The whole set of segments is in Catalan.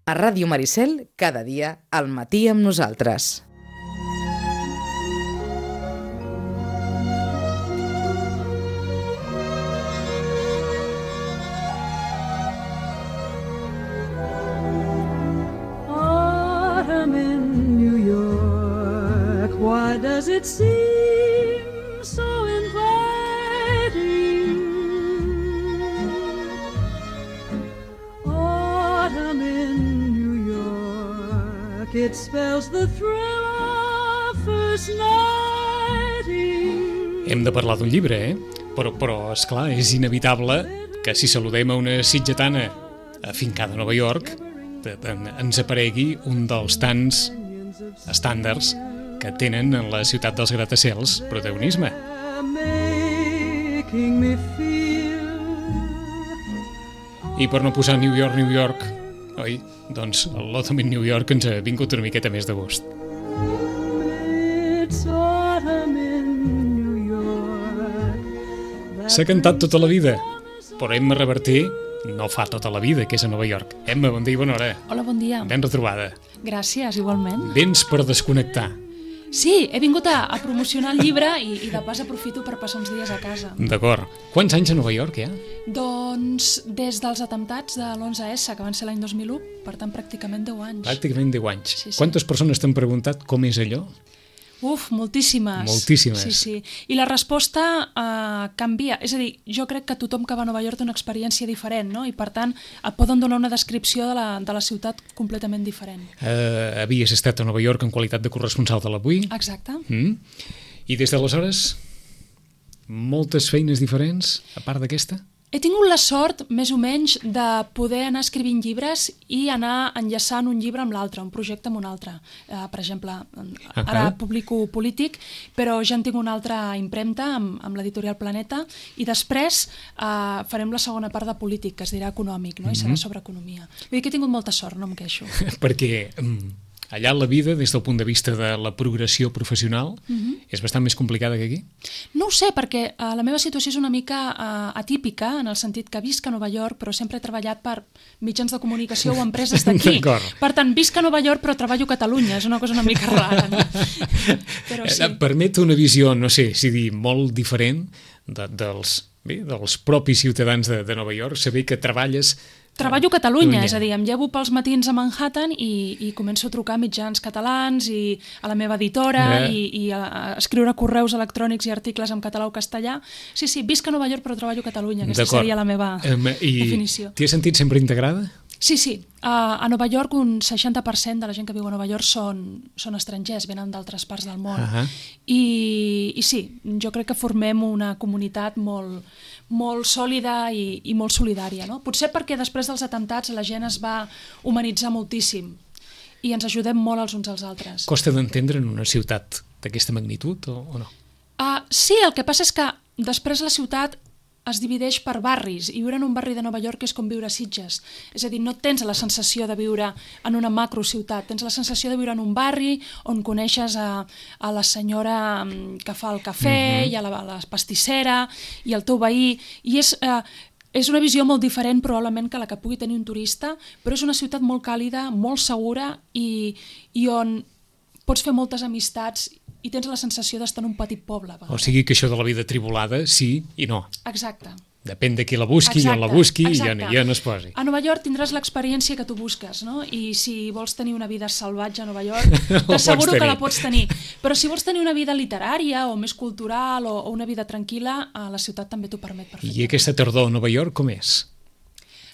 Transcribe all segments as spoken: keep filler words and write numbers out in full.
A Ràdio Maricel, cada dia, al matí amb nosaltres. Autumn in New York, why does it seem so inviting? Autumn in New York, it spells the thrill of first nighting. Hem de parlar d'un llibre, eh? Però, però, esclar, és inevitable que si saludem a una sitgetana afincada a Nova York, ens aparegui un dels tants estàndards que tenen en la ciutat dels gratacels protagonisme. I per no posar New York, New York, oi? Doncs l'Autumn in New York ens ha vingut una miqueta més de gust. S'ha cantat tota la vida, però Emma Reverter no fa tota la vida que és a Nova York. Emma, bon dia i bona hora. Hola, bon dia. Ben retrobada. Gràcies, igualment. Vens per desconnectar. Sí, he vingut a, a promocionar el llibre i, i de pas aprofito per passar uns dies a casa. D'acord. Quants anys a Nova York, ja? Doncs des dels atemptats de l'onze essa, que van ser l'any dos mil u, per tant, pràcticament deu anys. Pràcticament deu anys. Sí, sí. Quantes persones t'han preguntat com és allò? Uf, moltíssimes. Moltíssimes. Sí, sí. I la resposta eh, canvia. És a dir, jo crec que tothom que va a Nova York té una experiència diferent, no? I per tant et poden donar una descripció de la, de la ciutat completament diferent. Uh, havies estat a Nova York en qualitat de corresponsal de l'Avui. Exacte. Mm. I des d'aleshores, moltes feines diferents, a part d'aquesta? He tingut la sort, més o menys, de poder anar escrivint llibres i anar enllaçant un llibre amb l'altre, un projecte amb un altre. Uh, per exemple, ara uh-huh. publico Polític, però ja en tinc una altra impremta amb, amb l'editorial Planeta, i després uh, farem la segona part de Polític, que es dirà Econòmic, no? I serà sobre economia. Vull dir que he tingut molta sort, no em queixo. Perquè um, allà la vida, des del punt de vista de la progressió professional, uh-huh. és bastant més complicada que aquí? No ho sé, perquè uh, la meva situació és una mica uh, atípica, en el sentit que visc a Nova York, però sempre he treballat per mitjans de comunicació o empreses d'aquí. Per tant, visc a Nova York, però treballo a Catalunya. És una cosa una mica rara, no? Però sí. Permet una visió, no sé, si dir, molt diferent de, dels, bé, dels propis ciutadans de, de Nova York, saber que treballes... Treballo a Catalunya, és a dir, em llevo pels matins a Manhattan i, i començo a trucar a mitjans catalans i a la meva editora eh. i, i a, a escriure correus electrònics i articles en català o castellà. Sí, sí, visc a Nova York però treballo a Catalunya, aquesta seria la meva um, i definició. I t'hi has sentit sempre integrada? Sí, sí. Uh, a Nova York un seixanta per cent de la gent que viu a Nova York són, són estrangers, venen d'altres parts del món. Uh-huh. I, I sí, jo crec que formem una comunitat molt, molt sòlida i, i molt solidària, no? Potser perquè després dels atemptats la gent es va humanitzar moltíssim i ens ajudem molt els uns als altres. Costa d'entendre en una ciutat d'aquesta magnitud o, o no? Uh, sí, el que passa és que després la ciutat es divideix per barris, i viure en un barri de Nova York és com viure a Sitges. És a dir, no tens la sensació de viure en una macrociutat, tens la sensació de viure en un barri on coneixes a, a la senyora que fa el cafè, mm-hmm. i a la, a la pastissera, i el teu veí, i és... Eh, És una visió molt diferent probablement que la que pugui tenir un turista, però és una ciutat molt càlida, molt segura i, i on pots fer moltes amistats i tens la sensació d'estar en un petit poble. O sigui que això de la vida tribulada, sí i no. Exacte. Depèn de qui la busqui, i on la busqui i on, i on es posi. A Nova York tindràs l'experiència que tu busques, no? I si vols tenir una vida salvatge a Nova York, t'asseguro que la pots tenir. Però si vols tenir una vida literària o més cultural o, o una vida tranquil·la, la ciutat també t'ho permet perfectament. I aquesta tardor a Nova York com és?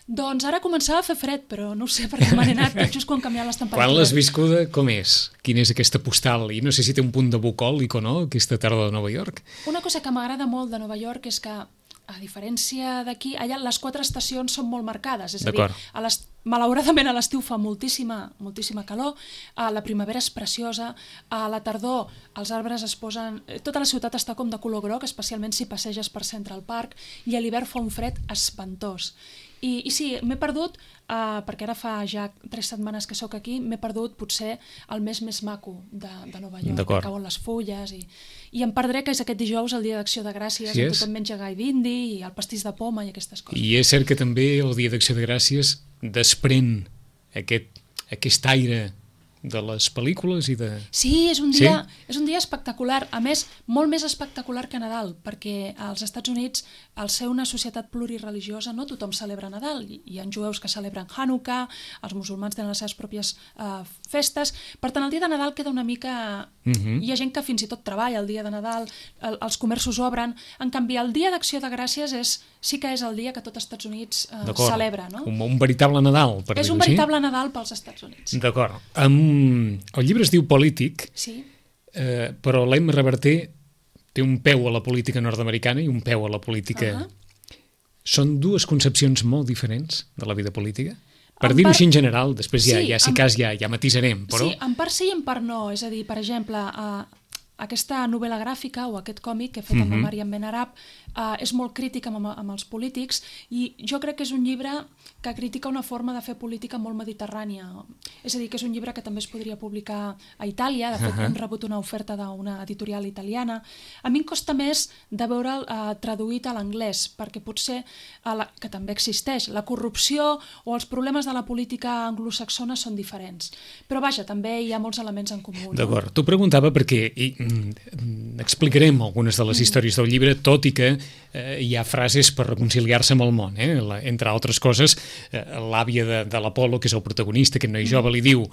Doncs ara començava a fer fred, però no ho sé perquè m'han anat tot just quan canviaven les temperatures. Quan l'has viscuda, com és? Quina és aquesta postal? I no sé si té un punt de bucòlic o no, aquesta tardor de Nova York. Una cosa que m'agrada molt de Nova York és que, a diferència d'aquí, allà les quatre estacions són molt marcades. És a dir, a les, malauradament a l'estiu fa moltíssima, moltíssima calor, a la primavera és preciosa, a la tardor els arbres es posen... Tota la ciutat està com de color groc, especialment si passeges per Central Park, i a l'hivern fa un fred espantós. I, i sí, m'he perdut, uh, perquè ara fa ja tres setmanes que sóc aquí, m'he perdut potser el mes més maco de, de Nova York, que cauen les fulles, i, i em perdré que és aquest dijous el dia d'Acció de Gràcies, sí, on tothom menja gai d'indi i el pastís de poma i aquestes coses. I és cert que també el dia d'Acció de Gràcies desprèn aquest aquest aire de les pel·lícules i de... Sí, és un dia, sí? és un dia espectacular. A més, molt més espectacular que Nadal, perquè als Estats Units, al ser una societat plurireligiosa, no tothom celebra Nadal. Hi ha jueus que celebren Hanukkà, els musulmans tenen les seves pròpies uh, festes. Per tant, el dia de Nadal queda una mica... Uh-huh. Hi ha gent que fins i tot treballa el dia de Nadal, el, els comerços obren. En canvi, el dia d'Acció de Gràcies és, sí que és el dia que tot els Estats Units uh, celebra. No? Un, un veritable Nadal, per dir-ho així. És un veritable Nadal pels Estats Units. D'acord. Um, el llibre es diu Polític, sí. eh, però l'Emma Reverter té un peu a la política nord-americana i un peu a la política... Uh-huh. Són dues concepcions molt diferents de la vida política? Per en dir-ho part... així en general, després ja, sí, ja si en... cas ja, ja matisarem, però... Sí, en part sí i en part no. És a dir, per exemple, uh, aquesta novel·la gràfica o aquest còmic que he fet uh-huh. amb la Mariam Benarab uh, és molt crític amb, amb els polítics i jo crec que és un llibre que critica una forma de fer política molt mediterrània. És a dir, que és un llibre que també es podria publicar a Itàlia, de fet uh-huh. hem rebut una oferta d'una editorial italiana. A mi em costa més de veure'l uh, traduït a l'anglès, perquè potser, uh, la, que també existeix, la corrupció o els problemes de la política anglosaxona són diferents. Però vaja, també hi ha molts elements en comú. D'acord, no? T'ho preguntava perquè i, mm, explicarem algunes de les mm. històries del llibre, tot i que eh, hi ha frases per reconciliar-se amb el món, eh? La, entre altres coses, l'àvia de, de l'Apolo, que és el protagonista, aquest noi jove, li diu: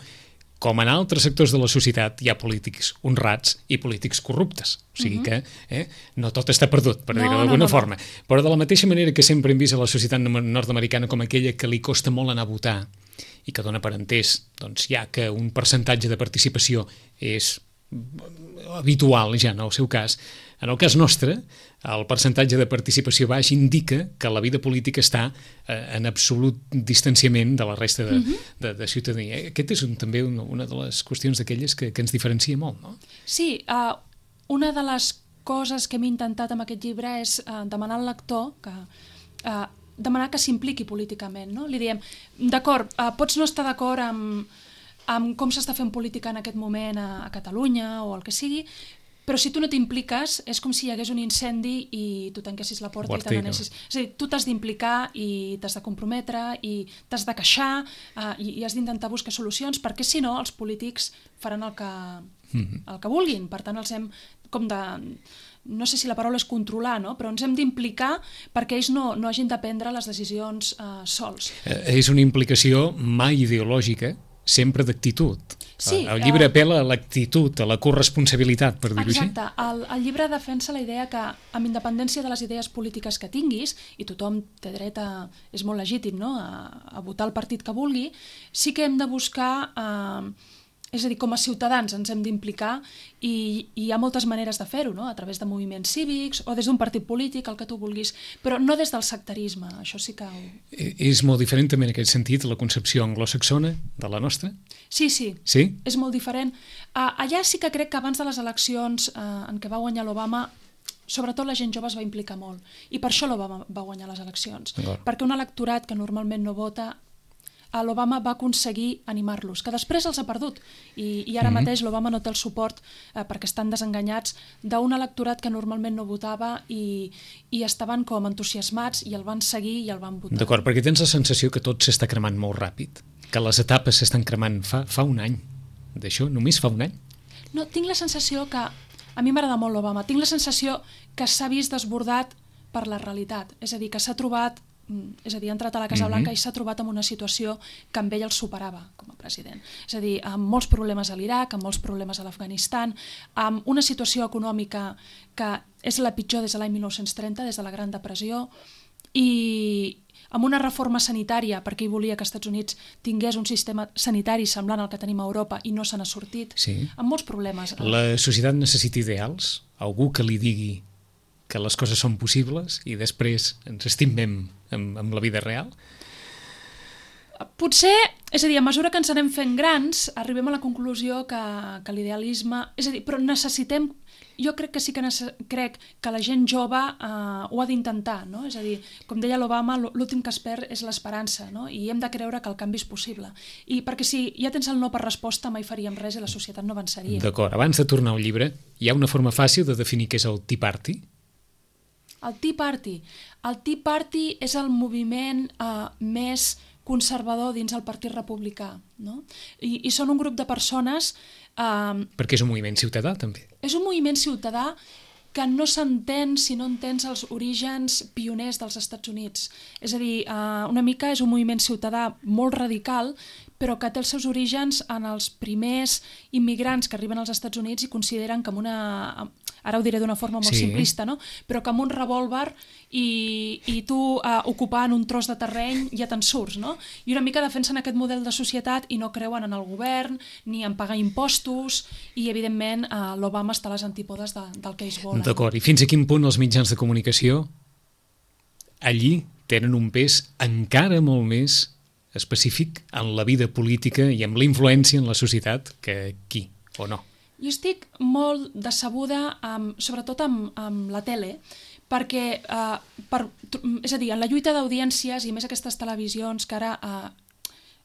com en altres sectors de la societat hi ha polítics honrats i polítics corruptes. O sigui que eh, no tot està perdut, per no, dir-ho d'alguna no, no, forma. No. Però de la mateixa manera que sempre hem vist a la societat nord-americana com aquella que li costa molt anar a votar i que dona per entès, doncs, ja que un percentatge de participació és habitual ja en el seu cas, en el cas nostre, el percentatge de participació baix indica que la vida política està eh, en absolut distanciament de la resta de, uh-huh. de, de ciutadania. Aquest és un, també una, una de les qüestions d'aquelles que, que ens diferencia molt, no? Sí, uh, una de les coses que hem intentat amb aquest llibre és uh, demanar al lector que... Uh, demanar que s'impliqui políticament, no? Li diem, d'acord, uh, pots no estar d'acord amb, amb com s'està fent política en aquest moment a, a Catalunya o el que sigui, però si tu no t'impliques és com si hi hagués un incendi i tu tanquessis la porta Guartico. i te n'anessis. És a dir, tu t'has d'implicar i t'has de comprometre i t'has de queixar uh, i, i has d'intentar buscar solucions, perquè si no els polítics faran el que, mm-hmm. el que vulguin. Per tant, els hem com de... no sé si la paraula és controlar, no? Però ens hem d'implicar perquè ells no, no hagin de prendre les decisions uh, sols. Eh, és una implicació mai ideològica, sempre d'actitud. Sí, el llibre uh, apela a l'actitud, a la corresponsabilitat, per dir-ho així. Exacte. El, el llibre defensa la idea que, amb independència de les idees polítiques que tinguis, i tothom té dret a... és molt legítim, no?, a, a votar el partit que vulgui, sí que hem de buscar... Uh, és a dir, com a ciutadans ens hem d'implicar i, i hi ha moltes maneres de fer-ho, no? A través de moviments cívics o des d'un partit polític, el que tu vulguis, però no des del sectarisme, això sí que... Ho... És molt diferent també en aquest sentit la concepció anglosaxona de la nostra? Sí, sí, sí? És molt diferent. Uh, allà sí que crec que abans de les eleccions uh, en què va guanyar l'Obama, sobretot la gent jove es va implicar molt, i per això l'Obama va guanyar les eleccions, perquè un electorat que normalment no vota, l'Obama va aconseguir animar-los, que després els ha perdut, i, i ara mm-hmm. mateix l'Obama no té el suport, eh, perquè estan desenganyats, d'un electorat que normalment no votava i, i estaven com entusiasmats i el van seguir i el van votar. D'acord, perquè tens la sensació que tot s'està cremant molt ràpid, que les etapes s'estan cremant fa, fa un any, d'això, només fa un any? No, tinc la sensació que, a mi m'agrada molt l'Obama, tinc la sensació que s'ha vist desbordat per la realitat, és a dir, que s'ha trobat és a dir, ha entrat a la Casa Blanca mm-hmm. i s'ha trobat en una situació que amb ell el superava com a president. És a dir, amb molts problemes a l'Iraq, amb molts problemes a l'Afganistan, amb una situació econòmica que és la pitjor des de l'any mil nou-cents trenta, des de la Gran Depressió, i amb una reforma sanitària, perquè ell volia que els Estats Units tingués un sistema sanitari semblant al que tenim a Europa i no se n'ha sortit, sí. amb molts problemes. La societat necessita ideals, algú que li digui que les coses són possibles i després ens estimem amb, amb la vida real? Potser, és a dir, a mesura que ens anem fent grans, arribem a la conclusió que, que l'idealisme... És a dir, però necessitem... Jo crec que sí que nece... crec que la gent jove eh, ho ha d'intentar, no? És a dir, com deia l'Obama, l'últim que es perd és l'esperança, no? I hem de creure que el canvi és possible. I perquè si ja tens el no per resposta, mai faríem res i la societat no avançaria. D'acord, abans de tornar al llibre, hi ha una forma fàcil de definir què és el Tea Party? El Tea Party. El Tea Party és el moviment uh, més conservador dins el Partit Republicà, no? I, i són un grup de persones... Eh, Perquè és un moviment ciutadà, també. És un moviment ciutadà que no s'entén si no entens els orígens pioners dels Estats Units. És a dir, eh, una mica és un moviment ciutadà molt radical, però que té els seus orígens en els primers immigrants que arriben als Estats Units i consideren que amb una... Ara ho diré d'una forma molt sí. simplista, no? Però que amb un revòlver i, i tu eh, ocupant un tros de terreny ja te'n surts, no? I una mica defensen aquest model de societat i no creuen en el govern ni en pagar impostos i, evidentment, eh, l'Obama està a les antípodes de, del que ells volen. D'acord, i fins a quin punt els mitjans de comunicació allí tenen un pes encara molt més específic en la vida política i amb la influència en la societat que aquí, o no? Jo estic molt decebuda, amb, sobretot amb, amb la tele, perquè, eh, per, és a dir, en la lluita d'audiències i més aquestes televisions que ara eh,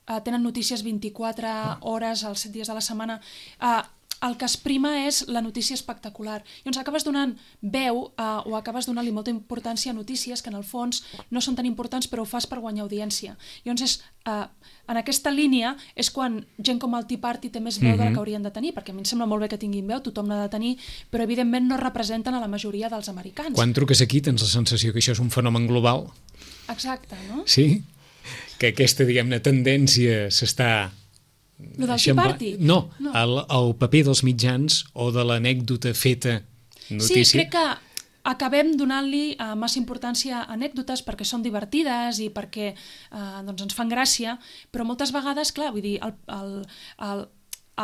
eh, tenen notícies vint-i-quatre hores als set dies de la setmana, eh, el que es prima és la notícia espectacular. Llavors acabes donant veu eh, o acabes donant-li molta importància a notícies que en el fons no són tan importants però ho fas per guanyar audiència. Llavors és, eh, en aquesta línia és quan gent com el Tea Party té més veu mm-hmm. de la que haurien de tenir, perquè a mi em sembla molt bé que tinguin veu, tothom n'ha de tenir, però evidentment no representen a la majoria dels americans. Quan truques aquí tens la sensació que això és un fenomen global. Exacte, no? Sí? Que aquesta, diguem-ne, tendència s'està... Lo del Tea Party? No, no. El, el paper dels mitjans o de l'anècdota feta notícia. Sí, crec que acabem donant-li uh, massa importància a anècdotes perquè són divertides i perquè uh, doncs ens fan gràcia, però moltes vegades, clar, vull dir, el, el, el,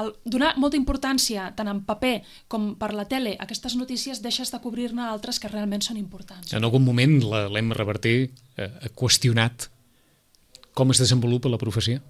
el donar molta importància tant en paper com per la tele a aquestes notícies deixes de cobrir-ne altres que realment són importants. En algun moment l'Emma Reverter eh, ha qüestionat com es desenvolupa la professió?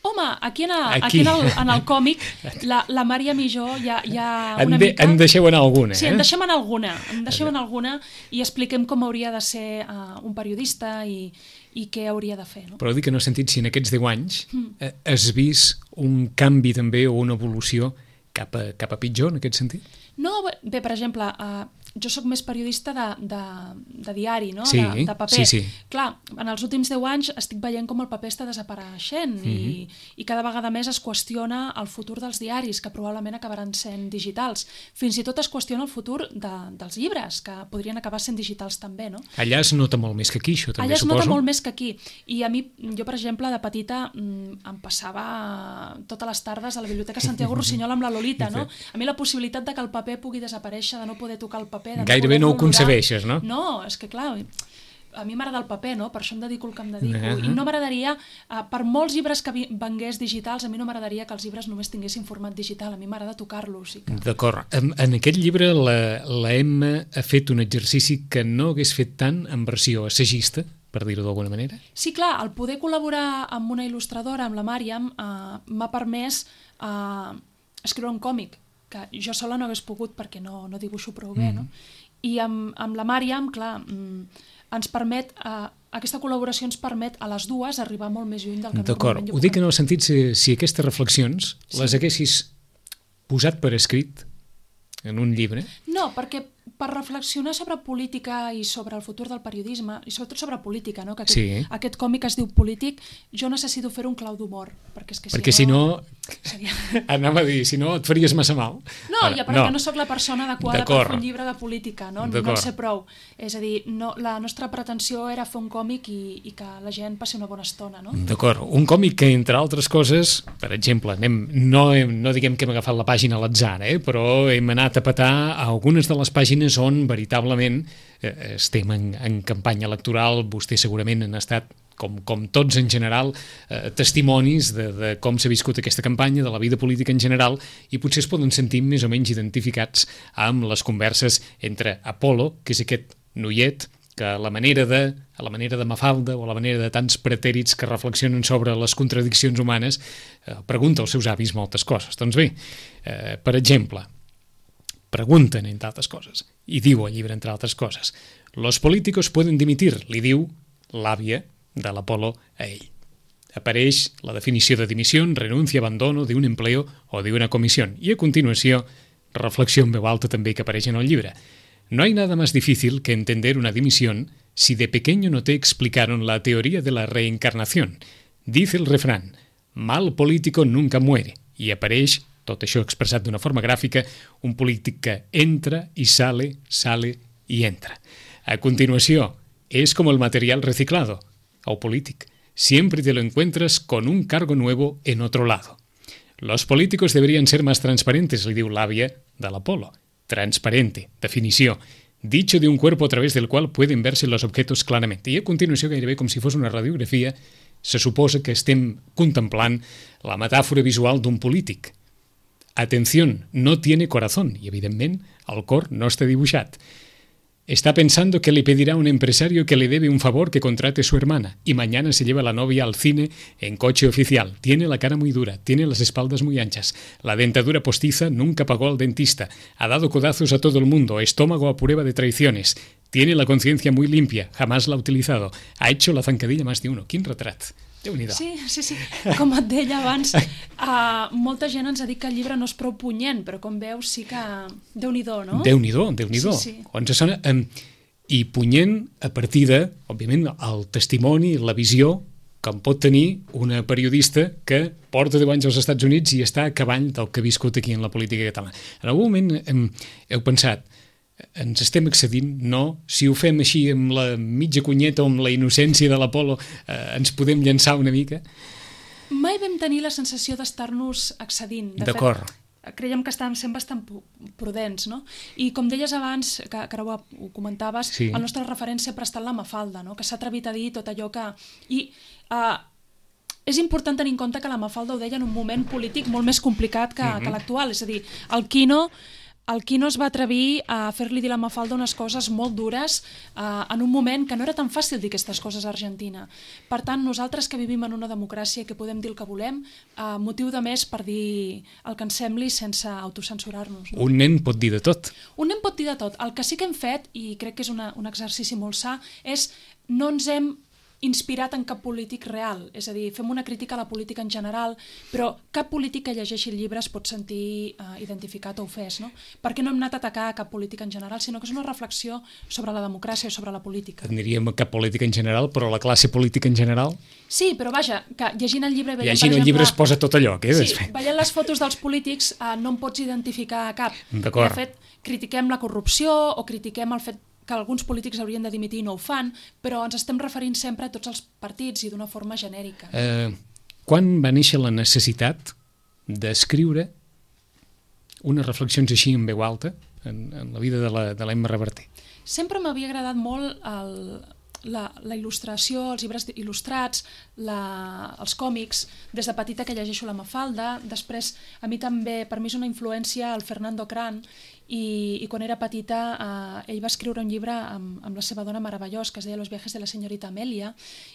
Home, aquí en el, aquí. aquí en el, en el còmic la, la Màriam i jo ja, ja una en, de, mica... En deixeu anar alguna, eh? Sí, en deixem anar alguna, en deixem anar alguna i expliquem com hauria de ser uh, un periodista i, i què hauria de fer. No? Però dic que no he sentit si en aquests deu anys eh, has vist un canvi també o una evolució cap a, cap a pitjor en aquest sentit? No, bé, per exemple, uh, jo sóc més periodista de, de, de diari, no? Sí, de, de paper. sí, sí. Clar, en els últims deu anys estic veient com el paper està desapareixent mm-hmm. i, i cada vegada més es qüestiona el futur dels diaris, que probablement acabaran sent digitals. Fins i tot es qüestiona el futur de, dels llibres, que podrien acabar sent digitals també, no? Allà es nota molt més que aquí, això també, Allà es suposo. nota molt més que aquí. I a mi, jo, per exemple, de petita em passava totes les tardes a la Biblioteca Santiago Rossinyol amb la Lolita, no? A mi la possibilitat de que el paper pugui desaparèixer, de no poder tocar el paper... Gairebé no ho concebeixes, no? No, és que clar, a mi m'agrada el paper, no? Per això em dedico el que em dedico. Uh-huh. I no m'agradaria, per molts llibres que vengués digitals, a mi no m'agradaria que els llibres només tinguessin format digital, a mi m'agrada tocar-los. I que... D'acord. En, en aquest llibre la, la Emma ha fet un exercici que no hagués fet tant en versió assagista, per dir-ho d'alguna manera? Sí, clar, el poder col·laborar amb una il·lustradora, amb la Màriam, eh, m'ha permès eh, escriure un còmic, que jo sola no hagués pogut perquè no, no dibuixo prou bé, mm. no? I amb, amb la Màriam, clar, ens permet, eh, aquesta col·laboració ens permet a les dues arribar molt més lluny del que normalment jo puc. Ho dic en el sentit si, si aquestes reflexions sí. les haguessis posat per escrit en un llibre? No, perquè per reflexionar sobre política i sobre el futur del periodisme, i sobretot sobre política, no? Que aquest, sí. aquest còmic es diu Polític, jo necessito fer un clau d'humor, perquè és que si perquè no... si no... Seria... Anava a dir, si no et faries massa mal. No, Ara, ja perquè no. no sóc la persona adequada per fer un llibre de política, no? No en sé prou. És a dir, no, la nostra pretensió era fer un còmic i, i que la gent passi una bona estona, no? D'acord, un còmic que, entre altres coses, per exemple, anem, no, no diguem que hem agafat la pàgina a l'atzar, eh? Però hem anat a petar a algunes de les pàgines on veritablement eh, estem en, en campanya electoral, vostès segurament han estat, com, com tots en general, eh, testimonis de, de com s'ha viscut aquesta campanya, de la vida política en general, i potser es poden sentir més o menys identificats amb les converses entre Apolo, que és aquest noiet que a la manera de, a la manera de Mafalda o a la manera de tants pretèrits que reflexionen sobre les contradiccions humanes, eh, pregunta als seus avis moltes coses. Doncs bé, eh, per exemple, pregunten, entre altres coses, i diu al llibre, entre altres coses, «Los políticos pueden dimitir», li diu l'àvia de l'Apolo a ell. Apareix la definició de dimissió, renuncia, abandono d'un empleo o d'una comissió. I a continuació, reflexió en veu alta també que apareix en el llibre. «No hay nada más difícil que entender una dimisión si de pequeño no te explicaron la teoría de la reencarnación. Dice el refrán, mal político nunca muere, i apareix, tot això expressat d'una forma gràfica, un polític que entra i sale, sale i entra. A continuació, es como el material reciclado, o polític. Siempre te lo encuentras con un cargo nuevo en otro lado. Los políticos deberían ser más transparentes, li diu l'àvia de l'Apolo. Transparente, definició. Dicho de un cuerpo a través del cual pueden verse los objetos claramente. I a continuació, gairebé com si fos una radiografia, se suposa que estem contemplant la metàfora visual d'un polític. Atención, no tiene corazón. I, evidentment, el cor no està dibuixat. Está pensando que le pedirá a un empresario que le debe un favor que contrate su hermana y mañana se lleva a la novia al cine en coche oficial. Tiene la cara muy dura, tiene las espaldas muy anchas, la dentadura postiza, nunca pagó al dentista, ha dado codazos a todo el mundo, estómago a prueba de traiciones, tiene la conciencia muy limpia, jamás la ha utilizado, ha hecho la zancadilla más de uno. Quin retrat! Déu-n'hi-do. Sí, sí, sí. Com et deia abans, uh, molta gent ens ha dit que el llibre no és prou punyent, però com veus sí que... Déu-n'hi-do, no? Déu-n'hi-do, Déu-n'hi-do. Sí, sí. Ens sona, um, I punyent a partir de, òbviament, el testimoni, la visió que en pot tenir una periodista que porta deu anys als Estats Units i està a cavall del que ha viscut aquí en la política catalana. En algun moment um, heu pensat, ens estem excedint? No. Si ho fem així amb la mitja cunyeta o amb la innocència de l'Apolo, eh, ens podem llançar una mica? Mai vam tenir la sensació d'estar-nos excedint. De D'acord. Fet, creiem que estàvem sent bastant prudents, no? I com deies abans, que, que ara ho, ho comentaves, sí. El nostre referent sempre ha estat la Mafalda, no? Que s'ha atrevit a dir tot allò que... I uh, és important tenir en compte que la Mafalda ho deia en un moment polític molt més complicat que, mm-hmm. que l'actual. És a dir, el Quino... El Quino es va atrevir a fer-li dir a la Mafalda unes coses molt dures uh, en un moment que no era tan fàcil dir aquestes coses a Argentina. Per tant, nosaltres que vivim en una democràcia i que podem dir el que volem, uh, motiu de més per dir el que ens sembli sense autocensurar-nos. No? Un nen pot dir de tot. Un nen pot dir de tot. El que sí que hem fet, i crec que és una, un exercici molt sa, és no ens hem inspirat en cap polític real, és a dir, fem una crítica a la política en general, però cap polític que llegeixi el llibre es pot sentir uh, identificat o ofès, no? Perquè no hem anat a atacar cap política en general, sinó que és una reflexió sobre la democràcia o sobre la política. En diríem cap política en general, però la classe política en general? Sí, però vaja, que llegint el llibre... Veiem, llegint per exemple, el llibre es posa tot allò, que és? Sí, veient les fotos dels polítics uh, no en pots identificar cap. D'acord. De fet, critiquem la corrupció o critiquem el fet que alguns polítics haurien de dimitir i no ho fan, però ens estem referint sempre a tots els partits i d'una forma genèrica. Eh, quan va néixer la necessitat d'escriure unes reflexions així en veu alta en, en la vida de la, de l'Emma Reverter? Sempre m'havia agradat molt el, la, la il·lustració, els llibres il·lustrats, la, els còmics. Des de petita que llegeixo la Mafalda, després a mi també, per mi és una influència el Fernando Cran, I, i quan era petita eh, ell va escriure un llibre amb, amb la seva dona meravellós que es deia Los viajes de la señorita Amelia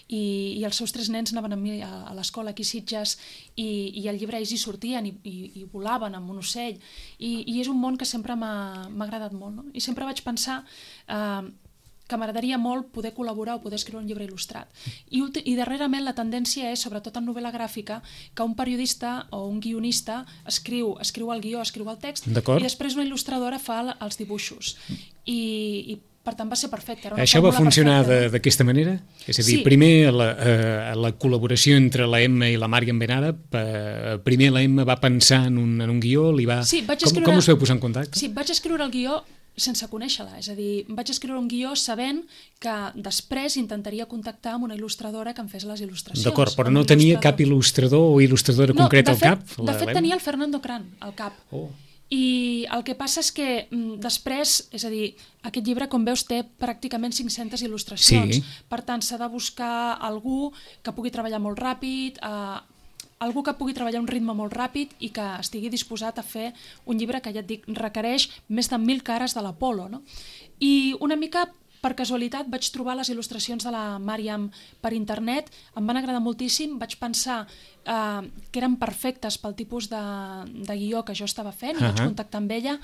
i, i els seus tres nens anaven amb mi a, a l'escola aquí a Sitges i, i al llibre ells hi sortien i, i, i volaven amb un ocell i, i és un món que sempre m'ha agradat molt, no? I sempre vaig pensar eh, que m'agradaria molt poder col·laborar o poder escriure un llibre il·lustrat. I, i darrerament la tendència és, sobretot en novel·la gràfica, que un periodista o un guionista escriu, escriu el guió, escriu el text, i després una il·lustradora fa els dibuixos. I, i per tant va ser perfecte. Això va funcionar d'aquesta manera? És a dir, sí. primer la, eh, la col·laboració entre la Emma i la Màriam Benara, eh, primer la Emma va pensar en un, en un guió, li va... Sí, vaig com, escriure... com us vau posar en contacte? Sí, vaig escriure el guió sense conèixer-la, és a dir, vaig escriure un guió sabent que després intentaria contactar amb una il·lustradora que em fes les il·lustracions. D'acord, però no tenia cap il·lustrador o il·lustradora no, concreta al cap? De fet, tenia el Fernando Cran al cap. Oh. I el que passa és que m, després, és a dir, aquest llibre, com veus, té pràcticament cinc-centes il·lustracions. Sí. Per tant, s'ha de buscar algú que pugui treballar molt ràpid, eh, algú que pugui treballar a un ritme molt ràpid i que estigui disposat a fer un llibre que, ja et dic, requereix més de mil cares de l'Apolo, no? I una mica per casualitat vaig trobar les il·lustracions de la Màriam per internet, em van agradar moltíssim, vaig pensar eh, que eren perfectes pel tipus de, de guió que jo estava fent, i uh-huh. vaig contactar amb ella,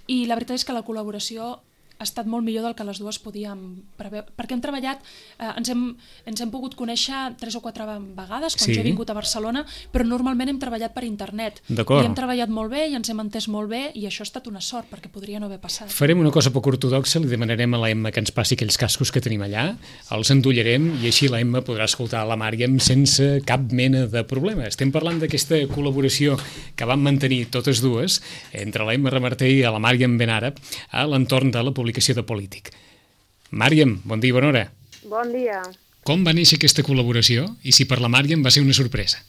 i la veritat és que la col·laboració ha estat molt millor del que les dues podíem preveure, perquè hem treballat, eh, ens, hem, ens hem pogut conèixer tres o quatre vegades quan sí. jo he vingut a Barcelona, però normalment hem treballat per internet. I hem treballat molt bé i ens hem entès molt bé i això ha estat una sort, perquè podria no haver passat. Farem una cosa poc ortodoxa, li demanarem a la Emma que ens passi aquells cascos que tenim allà, els endollarem i així la Emma podrà escoltar la Màriam sense cap mena de problema. Estem parlant d'aquesta col·laboració que vam mantenir totes dues entre la Emma Remarté i la Màriam Benàrab a l'entorn de la publicació de Polític. Màriam, bon dia i bona hora. Bon dia. Com va néixer aquesta col·laboració i si per la Màriam va ser una sorpresa?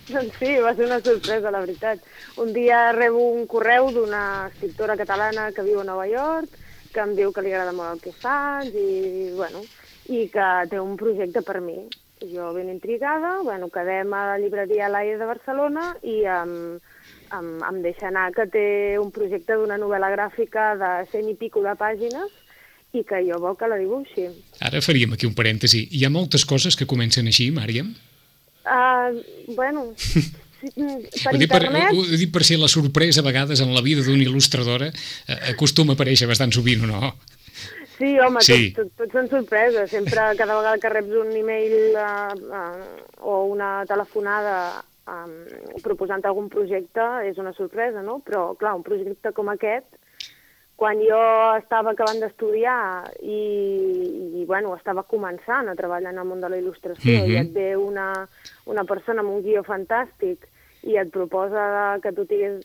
Doncs sí, va ser una sorpresa, la veritat. Un dia rebo un correu d'una escriptora catalana que viu a Nova York, que em diu que li agrada molt el que faig i, bueno, i que té un projecte per mi. Jo ben intrigada, bueno, quedem a la llibreria Laia de Barcelona i em, em, em deixa anar que té un projecte d'una novel·la gràfica de cent i pico de pàgines i que jo vol que la dibuixi. Ara faríem aquí un parèntesi. Hi ha moltes coses que comencen així, Màriam? Uh, bueno, per ho dic per, internet... ho dic per si la sorpresa a vegades en la vida d'una il·lustradora eh, acostuma a aparèixer bastant sovint, o no? Sí, home, sí. Tots, tots, tots són sorpreses. Sempre, cada vegada que reps un e-mail uh, uh, o una telefonada um, proposant algun projecte és una sorpresa, no? Però, clar, un projecte com aquest, quan jo estava acabant d'estudiar i, i, bueno, estava començant a treballar en el món de la il·lustració mm-hmm. i et ve una, una persona amb un guió fantàstic i et proposa que tu tigues,